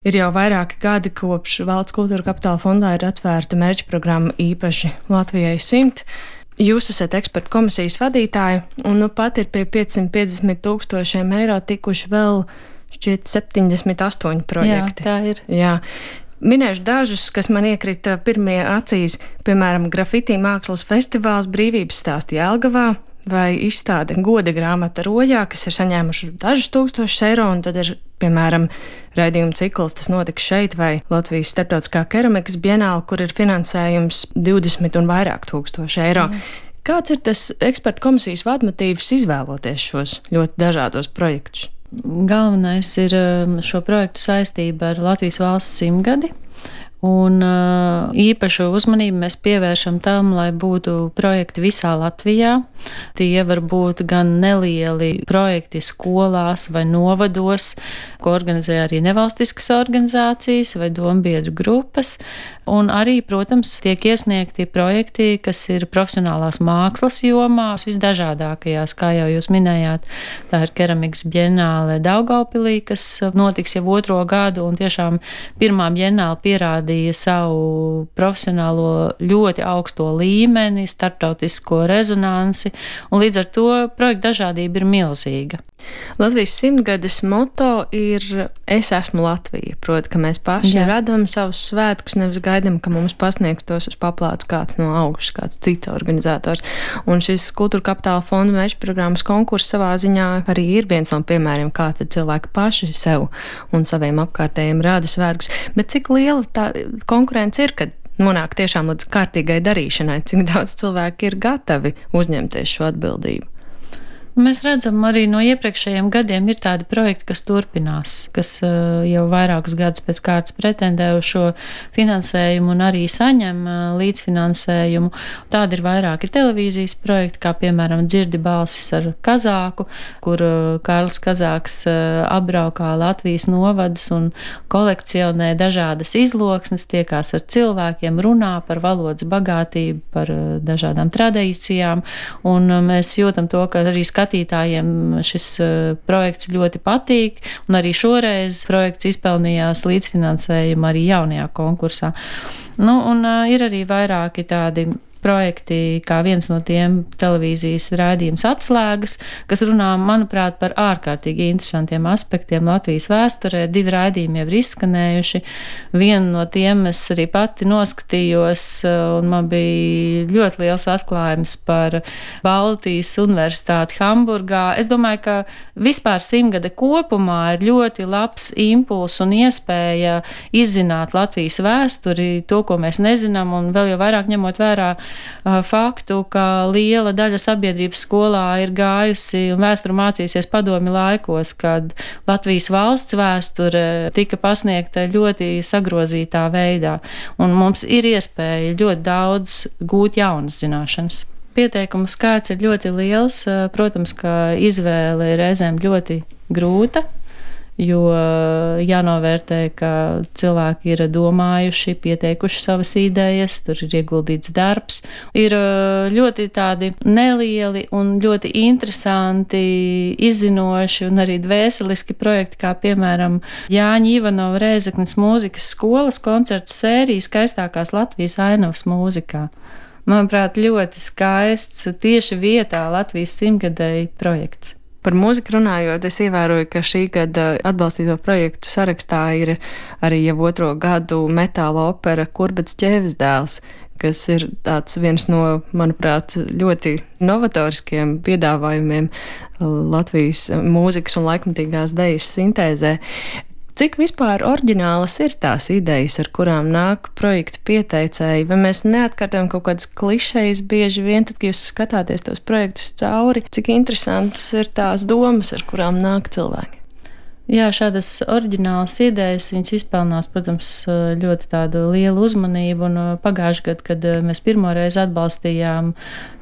Ir jau vairāki gadi, kopš Valsts kultūra kapitāla fondā ir atvērta mērķa programma īpaši Latvijai 100. Jūs esat ekspertu komisijas vadītāja, un nu pat ir pie 550,000 eiro tikuši vēl šķiet 78 projekti. Jā, tā ir. Jā. Minēšu dažus, kas man iekrita pirmie acīs, piemēram, grafiti mākslas festivāls Brīvības stāsti Jelgavā, vai izstāde Goda grāmata Rojā, kas ir saņēmuši dažus tūkstošus eiro, un tad ir, piemēram, raidījuma cikls, tas notika šeit, vai Latvijas starptautiskā keramikas bienāla, kur ir finansējums 20 un vairāk tūkstoši eiro. Kāds ir tas ekspertu komisijas vadmotīvs izvēloties šos ļoti dažādos projektus? Galvenais ir šo projektu saistība ar Latvijas valsts 100-gadi. Un īpašu uzmanību mēs pievēršam tam, lai būtu projekti visā Latvijā. Tie var būt gan nelieli projekti skolās vai novados, ko organizē arī nevalstiskas organizācijas vai dombiedru grupas. Un arī, protams, tiek iesniegti projekti, kas ir profesionālās mākslas jomās, visdažādākajās, kā jau jūs minējāt. Tā ir keramikas bienāle Daugavpilī, kas notiks jau 2. gadu, un tiešām pirmā bienāle pierādīja savu profesionālo ļoti augsto līmeni, starptautisko rezonansi, un līdz ar to projekta dažādība ir milzīga. Latvijas 100-gades moto ir Es esmu Latvija, proti, ka mēs paši radam savus svētkus, nevis gaidam, ka mums pasniegs tos uz paplātes kāds no augšas, kāds cits organizators. Un šis kultūra kapitāla fonda mērķa programmas konkurss savā ziņā arī ir viens no piemēriem, kā tad cilvēki paši sev un saviem apkārtējiem rāda svētkus. Bet cik liela tā konkurence ir, kad nonāk tiešām līdz kārtīgai darīšanai, cik daudz cilvēki ir gatavi uzņemties šo atbildību? Mēs redzam, arī no iepriekšējiem gadiem ir tādi projekti, kas turpinās, kas jau vairākus gadus pēc kārtas pretendē uz šo finansējumu un arī saņem līdzfinansējumu. Tādi ir vairāki televīzijas projekti, kā piemēram Dzirdi balsis ar Kazāku, kur Kārlis Kazāks apbraukā Latvijas novadus un kolekcionē dažādas izloksnes, tiekās ar cilvēkiem, runā par valodas bagātību, par dažādām tradīcijām, un mēs jūtam to, ka arī skatītājiem šis projekts ļoti patīk, un arī šoreiz projekts izpelnījās līdzfinansējumu arī jaunajā konkursā. Un ir arī vairāki tādi projekti, kā viens no tiem televīzijas raidījums Atslēgas, kas runā, manuprāt, par ārkārtīgi interesantiem aspektiem Latvijas vēsturē. 2 raidījumi jau ir izskanējuši. Vienu no tiem es arī pati noskatījos, un man bija ļoti liels atklājums par Baltijas Universitāti Hamburgā. Es domāju, ka vispār 100-gade kopumā ir ļoti labs impulss un iespēja izzināt Latvijas vēsturi, to, ko mēs nezinām, un vēl jau vairāk ņemot vērā faktu, ka liela daļa sabiedrības skolā ir gājusi un vēsturi mācījusies padomju laikos, kad Latvijas valsts vēsture tika pasniegta ļoti sagrozītā veidā. Un mums ir iespēja ļoti daudz gūt jaunas zināšanas. Pieteikumu skaits ir ļoti liels. Protams, ka izvēle ir reizēm ļoti grūta, jo jānovērtē, ka cilvēki ir domājuši, pieteikuši savas idejas, tur ir ieguldīts darbs. Ir ļoti tādi nelieli un ļoti interesanti, izzinoši un arī dvēseliski projekti, kā piemēram Jāņa Ivanova Rēzeknes mūzikas skolas koncertu sērija Skaistākās Latvijas ainavas mūzikā. Manuprāt, ļoti skaists tieši vietā Latvijas 100-gadēji projekts. Par mūziku runājot, es ievēroju, ka šī gada atbalstīto projektu sarakstā ir arī jau 2. gadu metāla opera Kurbats ķēvis dēls, kas ir tāds viens no, manuprāt, ļoti novatoriskiem piedāvājumiem Latvijas mūzikas un laikmatīgās dejas sintēzē. Cik vispār oriģinālas ir tās idejas, ar kurām nāk projektu pieteicēji? Vai mēs neatkārtojam kaut kādas klišejas bieži vien, tad, kad jūs skatāties tos projektus cauri? Cik interesantas ir tās domas, ar kurām nāk cilvēki? Jā, šādas oriģinālas idejas, viņas izpelnās, protams, ļoti tādu lielu uzmanību, un pagājušajā gadā, kad mēs pirmoreiz atbalstījām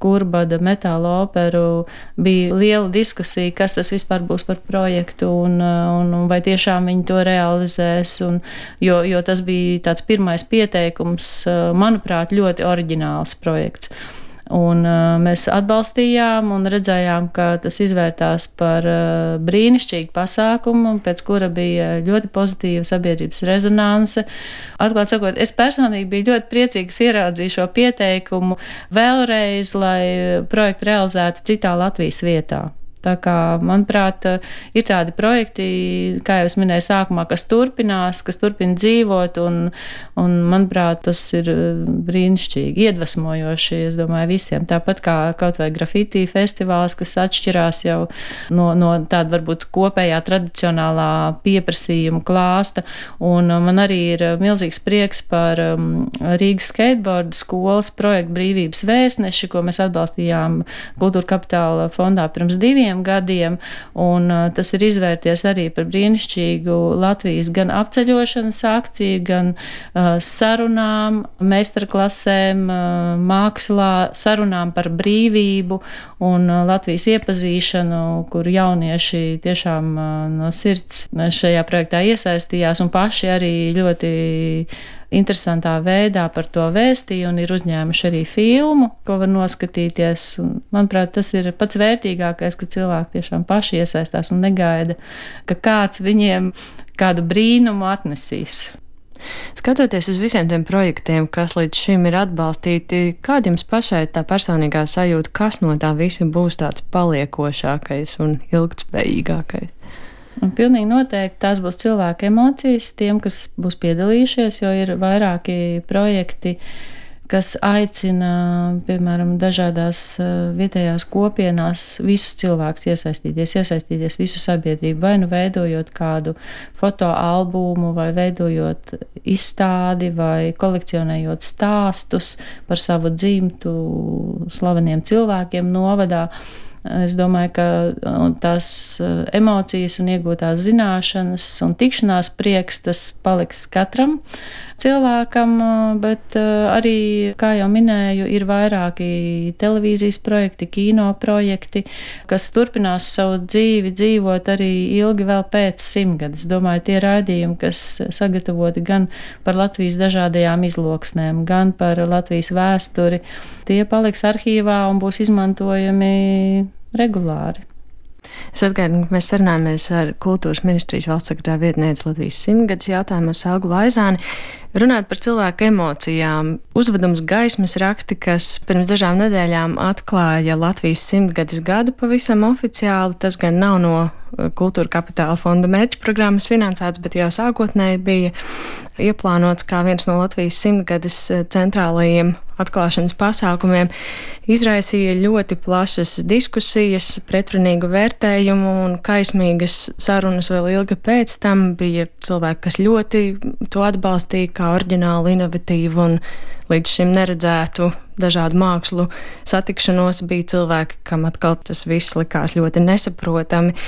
Kurbada metāla operu, bija liela diskusija, kas tas vispār būs par projektu, un vai tiešām viņi to realizēs, jo tas bija tāds pirmais pieteikums, manuprāt, ļoti oriģināls projekts. Un mēs atbalstījām un redzējām, ka tas izvērtās par brīnišķīgu pasākumu, pēc kura bija ļoti pozitīva sabiedrības rezonanse. Atklāt sakot, es personīgi biju ļoti priecīgs ieraudzīt šo pieteikumu vēlreiz, lai projektu realizētu citā Latvijas vietā. Tā kā, manuprāt, ir tādi projekti, kā jau es minēju sākumā, kas turpina dzīvot, un manuprāt, tas ir brīnišķīgi, iedvesmojoši, es domāju, visiem. Tāpat kā kaut vai grafiti festivāls, kas atšķirās jau no tāda varbūt kopējā tradicionālā pieprasījuma klāsta, un man arī ir milzīgs prieks par Rīgas skateboardu skolas projektu Brīvības vēstneši, ko mēs atbalstījām Kultūra Kapitāla fondā pirms 2 gadiem, un tas ir izvērties arī par brīnišķīgu Latvijas gan apceļošanas akciju, gan sarunām, meistarklasēm, mākslā, sarunām par brīvību un Latvijas iepazīšanu, kur jaunieši tiešām no sirds šajā projektā iesaistījās un paši arī ļoti interesantā veidā par to vēstīja un ir uzņēmuši arī filmu, ko var noskatīties. Un, manuprāt, tas ir pats vērtīgākais, ka cilvēki tiešām paši iesaistās un negaida, ka kāds viņiem kādu brīnumu atnesīs. Skatoties uz visiem tiem projektiem, kas līdz šim ir atbalstīti, kāda jums pašai tā personīgā sajūta, kas no tā visa būs tāds paliekošākais un ilgtspējīgākais? Un pilnīgi noteikti tās būs cilvēku emocijas tiem, kas būs piedalījušies, jo ir vairāki projekti, kas aicina, piemēram, dažādās vietējās kopienās visus cilvēkus iesaistīties visu sabiedrību, vai nu veidojot kādu fotoalbumu, vai veidojot izstādi, vai kolekcionējot stāstus par savu dzimtu slaveniem cilvēkiem novadā. Es domāju, ka tās emocijas un iegūtās zināšanas un tikšanās prieks, tas paliks katram cilvēkam, bet arī, kā jau minēju, ir vairāki televīzijas projekti, kino projekti, kas turpinās savu dzīvi dzīvot arī ilgi vēl pēc 100 gadus. Es domāju, tie raidījumi, kas sagatavoti gan par Latvijas dažādajām izloksnēm, gan par Latvijas vēsturi, tie paliks arhīvā un būs izmantojami regulāri. Es atgādinu, ka mēs sarunājamies ar Kultūras ministrijas valsts sekretāra vietnieci Latvijas 100-gadus jautājumos Elgu Laizāni. Runāt par cilvēku emocijām. Uzvedums Gaismas raksti, kas pirms dažām nedēļām atklāja Latvijas 100-gadus gadu pavisam oficiāli. Tas gan nav no Kultūra Kapitāla fonda mērķu programmas finansēts, bet jau sākotnēji bija ieplānots kā viens no Latvijas 100-gadus centrālajiem atklāšanas pasākumiem. Izraisīja ļoti plašas diskusijas, pretrunīgu vērtējumu un kaismīgas sarunas vēl ilgi pēc tam. Bija cilvēki, kas ļoti to atbalstīja kā oriģinālu, inovatīvu un līdz šim neredzētu dažādu mākslu satikšanos. Bija cilvēki, kam atkal tas viss likās ļoti nesaprotami.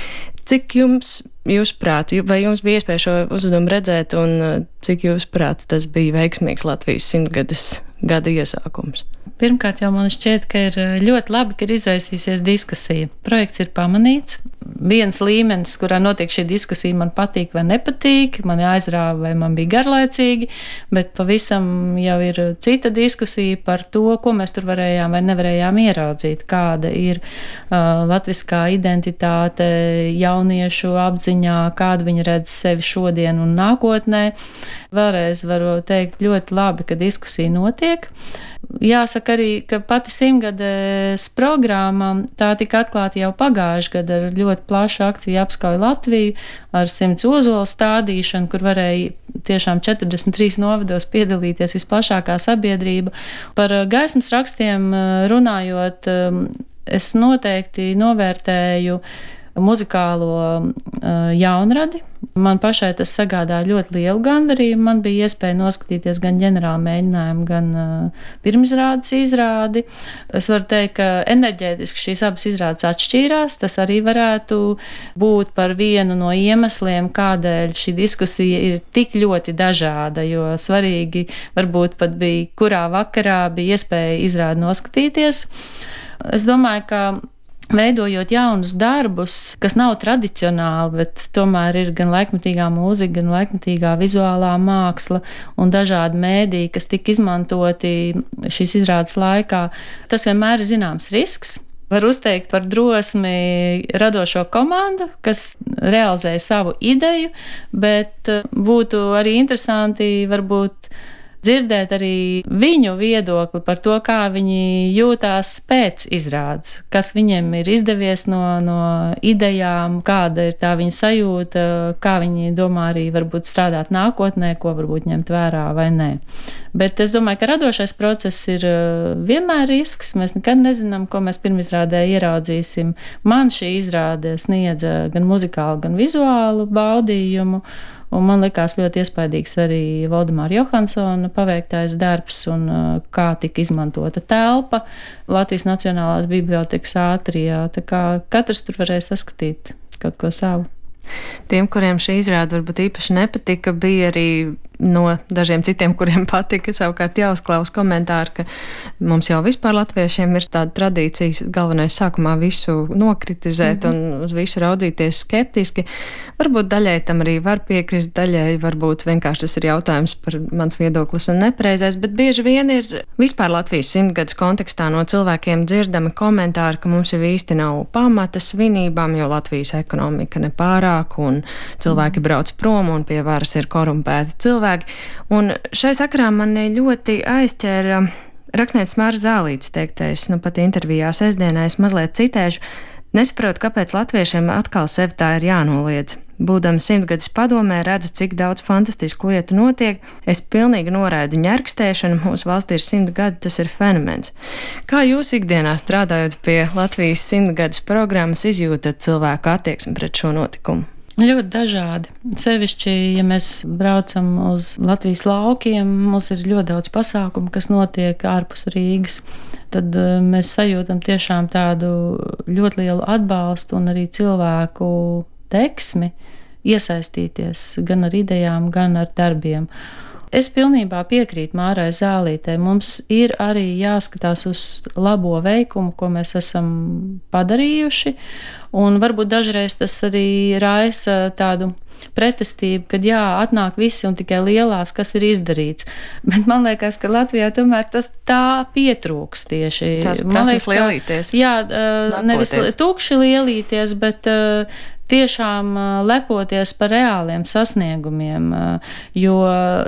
Cik jūsuprāt, vai jums bija iespēja šo uzvedumu redzēt un cik jūsuprāt tas bija veiksmīgs Latvijas 100-gadus gada iesākums? Pirmkārt, jau man šķiet, ka ir ļoti labi, ka ir izraisījusies diskusija. Projekts ir pamanīts. Viens līmenis, kurā notiek šī diskusija, man patīk vai nepatīk, man aizrāva vai man bija garlaicīgi, bet pavisam jau ir cita diskusija par to, ko mēs tur varējām vai nevarējām ieraudzīt, kāda ir latviskā identitāte jauniešu apziņā, kādu viņi redz sevi šodien un nākotnē. Vēlreiz varu teikt ļoti labi, ka diskusija notiek. Jāsaka arī, ka pati 100-gades programma tā tika atklāta jau pagājušajā gadā ar ļoti plašu akciju Apskauj Latviju ar 100 ozolu stādīšanu, kur varēja tiešām 43 novados piedalīties visplašākā sabiedrība. Par gaismas rakstiem runājot, es noteikti novērtēju muzikālo jaunradi. Man pašai tas sagādā ļoti lielu gandarījumu. Man bija iespēja noskatīties gan ģenerāla mēģinājumu, gan pirmizrādes izrādi. Es varu teikt, ka enerģētiski šīs abas izrādes atšķīrās. Tas arī varētu būt par vienu no iemesliem, kādēļ šī diskusija ir tik ļoti dažāda, jo svarīgi varbūt pat bija, kurā vakarā bija iespēja izrādi noskatīties. Es domāju, ka veidojot jaunus darbus, kas nav tradicionāli, bet tomēr ir gan laikmetīgā mūzika, gan laikmetīgā vizuālā māksla un dažādi mēdīji, kas tika izmantoti šīs izrādes laikā, tas vienmēr ir zināms risks. Var uzteikt par drosmi radošo komandu, kas realizēja savu ideju, bet būtu arī interesanti varbūt dzirdēt arī viņu viedokli par to, kā viņi jūtās pēc izrādes, kas viņiem ir izdevies no idejām, kāda ir tā viņa sajūta, kā viņi domā arī varbūt strādāt nākotnē, ko varbūt ņemt vērā vai nē. Bet es domāju, ka radošais process ir vienmēr risks. Mēs nekad nezinām, ko mēs pirmizrādē ieraudzīsim. Man šī izrāde sniedza gan muzikālu, gan vizuālu baudījumu. Un man likās ļoti iespaidīgs arī Valdemāra Johansona paveiktais darbs un kā tika izmantota telpa Latvijas Nacionālās bibliotekas ātrijā. Tā kā katrs tur varēja saskatīt kaut ko savu. Tiem, kuriem šī izrāde varbūt īpaši nepatika, bija arī no dažiem citiem, kuriem patika. Savukārt jāuzklaus komentāri, ka mums jau vispār latviešiem ir tāda tradīcija galvenais sākumā visu nokritizēt un uz visu raudzīties skeptiski. Varbūt daļai tam arī var piekrist, daļai varbūt vienkārši tas ir jautājums par mans viedoklis un nepareizais, bet bieži vien ir vispār Latvijas 100-gadus kontekstā no cilvēkiem dzirdami komentāri, ka mums jau īsti nav pamata svinībām, jo Latvijas ekonomika nepārāk un cilvēki brauc prom un pie varas ir korumpēti cilvēki. Un šai sakarā mani ļoti aizķēra rakstnieks Mārs Zālītis teiktais, pat intervijā sestdienā es mazliet citēšu, nesaprotu, kāpēc latviešiem atkal sevi tā ir jānoliedz. Būdams 100-gadus padomē, redzu, cik daudz fantastisku lietu notiek. Es pilnīgi noraidu ņerkstēšanu, mūsu valstī ir 100 gadi, tas ir fenomens. Kā jūs ikdienā strādājot pie Latvijas 100-gadus programmas izjūtat cilvēku attieksmi pret šo notikumu? Ļoti dažādi. Sevišķi, ja mēs braucam uz Latvijas laukiem, mums ir ļoti daudz pasākumu, kas notiek ārpus Rīgas. Tad mēs sajūtam tiešām tādu ļoti lielu atbalstu un arī cilvēku deksmi iesaistīties gan ar idejām, gan ar darbiem. Es pilnībā piekrītu Mārai Zālītei. Mums ir arī jāskatās uz labo veikumu, ko mēs esam padarījuši, un varbūt dažreiz tas arī raisa tādu pretestību, kad atnāk visi un tikai lielās, kas ir izdarīts. Bet man liekas, ka Latvijā tomēr tas tā pietrūks tieši. Tās prasmes lielīties. Jā, nevis tukši lielīties, bet tiešām lepoties par reāliem sasniegumiem, jo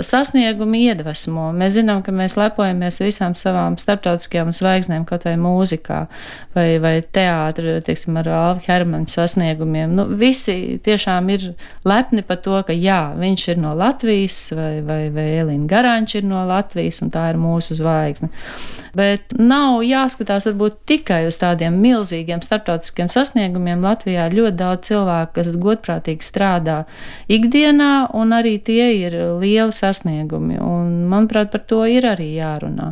sasniegumi iedvesmo. Mēs zinām, ka mēs lepojamies visām savām starptautiskajām zvaigznēm, kaut vai mūzikā, vai teātra, teiksim, ar Alvi Hermaņa sasniegumiem. Visi tiešām ir lepni par to, ka viņš ir no Latvijas, vai Elīna Garanča ir no Latvijas, un tā ir mūsu zvaigzne. Bet nav jāskatās varbūt tikai uz tādiem milzīgiem starptautiskiem sasniegumiem. Latvijā ir ļoti daudz cilvēku, kas godprātīgi strādā ikdienā, un arī tie ir lieli sasniegumi. Un, manuprāt, par to ir arī jārunā.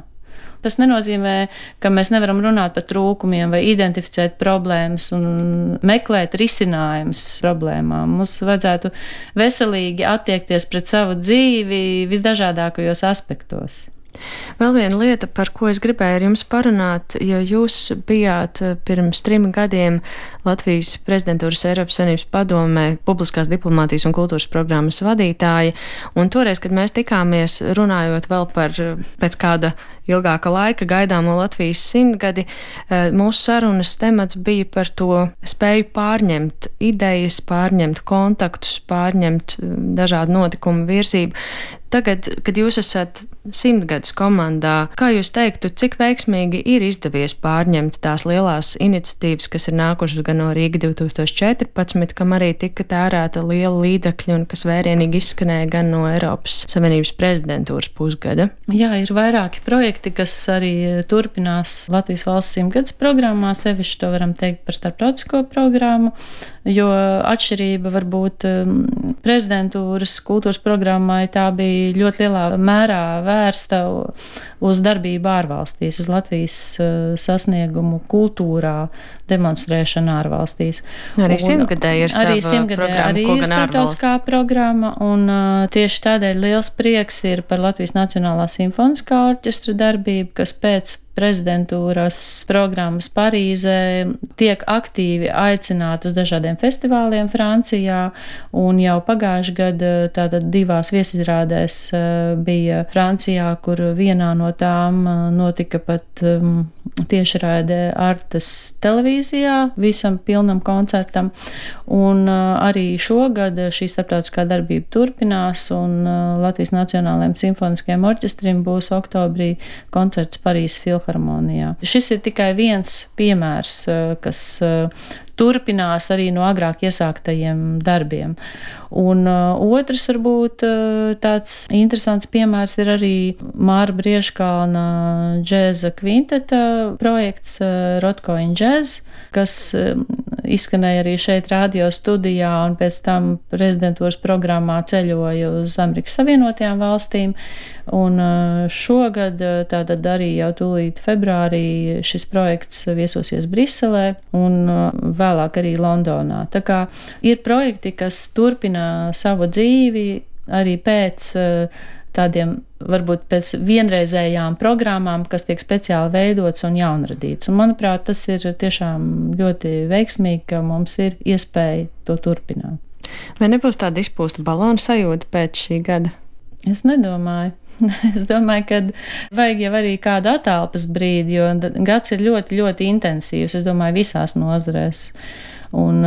Tas nenozīmē, ka mēs nevaram runāt par trūkumiem vai identificēt problēmas un meklēt risinājumus problēmām. Mums vajadzētu veselīgi attiekties pret savu dzīvi visdažādākajos aspektos. Vēl viena lieta, par ko es gribēju ar jums parunāt, jo jūs bijāt pirms 3 gadiem Latvijas prezidentūras Eiropas Savienības padomē publiskās diplomātijas un kultūras programmas vadītāja, un toreiz, kad mēs tikāmies runājot vēl par pēc kāda ilgāka laika gaidāmo Latvijas 100-gadi, mūsu sarunas temats bija par to spēju pārņemt idejas, pārņemt kontaktus, pārņemt dažādu notikumu virzību. Tagad, kad jūs esat 100-gadus komandā, kā jūs teiktu, cik veiksmīgi ir izdevies pārņemt tās lielās iniciatīvas, kas ir nākušas gan no Rīga 2014, kam arī tika tērēta liela līdzekļa un kas vērienīgi izskanēja gan no Eiropas Savienības prezidentūras pusgada? Jā, ir vairāki projekti, kas arī turpinās Latvijas valsts 100-gadus programmā, sevišķi to varam teikt par starptautisko programmu, jo atšķirība varbūt prezidentūras kultūras programmai tā bija ļoti lielā mērā vērsta uz darbību ārvalstīs, uz Latvijas sasniegumu kultūrā, demonstrēšanu ārvalstīs. Arī 100-gadē ir sava programma, arī ko ir gan starptautiskā programma, un tieši tādēļ liels prieks ir par Latvijas Nacionālā simfoniskā orķestra darbību, kas pēc prezidentūras programmas Parīzē tiek aktīvi aicināti uz dažādiem festivāliem Francijā, un jau pagājuši gadu tātad 2 viesizrādēs bija Francijā, kur vienā no tām notika pat tiešraide Artes televīzijā visam pilnam koncertam, un arī šogad šī starptautiskā darbība turpinās, un Latvijas Nacionālajiem simfoniskajiem orķestrim būs oktobrī koncerts Parīzes Filharmonijā. Šis ir tikai viens piemērs, kas turpinās arī no agrāk iesāktajiem darbiem. Un otrs varbūt tāds interesants piemērs ir arī Māra Briežkalna džēza kvinteta projekts Rotko in Jazz, kas izskanēja arī šeit radio studijā un pēc tam prezidentūras programmā ceļoja uz Amerikas Savienotajām valstīm. Un šogad, tātad arī jau tūlīt februārī, šis projekts viesosies Briselē un vēlāk arī Londonā. Tā kā ir projekti, kas turpina savu dzīvi arī pēc tādiem, varbūt pēc vienreizējām programmām, kas tiek speciāli veidots un jaunradīts. Un, manuprāt, tas ir tiešām ļoti veiksmīgi, ka mums ir iespēja to turpināt. Vai nebūs tāda izpūsta balona sajūta pēc šī gada? Es nedomāju. Es domāju, ka vajag jau arī kādu attālpas brīdi, jo gads ir ļoti, ļoti intensīvs, es domāju, visās nozarēs. Un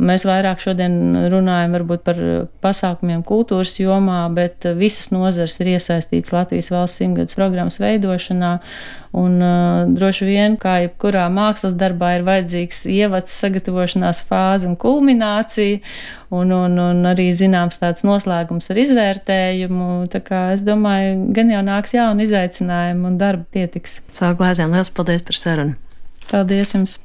mēs vairāk šodien runājam varbūt par pasākumiem kultūras jomā, bet visas nozares ir iesaistīts Latvijas valsts 100-gadus programmas veidošanā, un droši vien, kā jebkurā mākslas darbā, ir vajadzīgs ievads, sagatavošanās fāze un kulminācija, un arī zināms tāds noslēgums ar izvērtējumu. Tā kā es domāju, gan jau nāks jauni izaicinājumi un darba pietiks. Savu Glāzēm, liels paldies par sarunu! Paldies jums!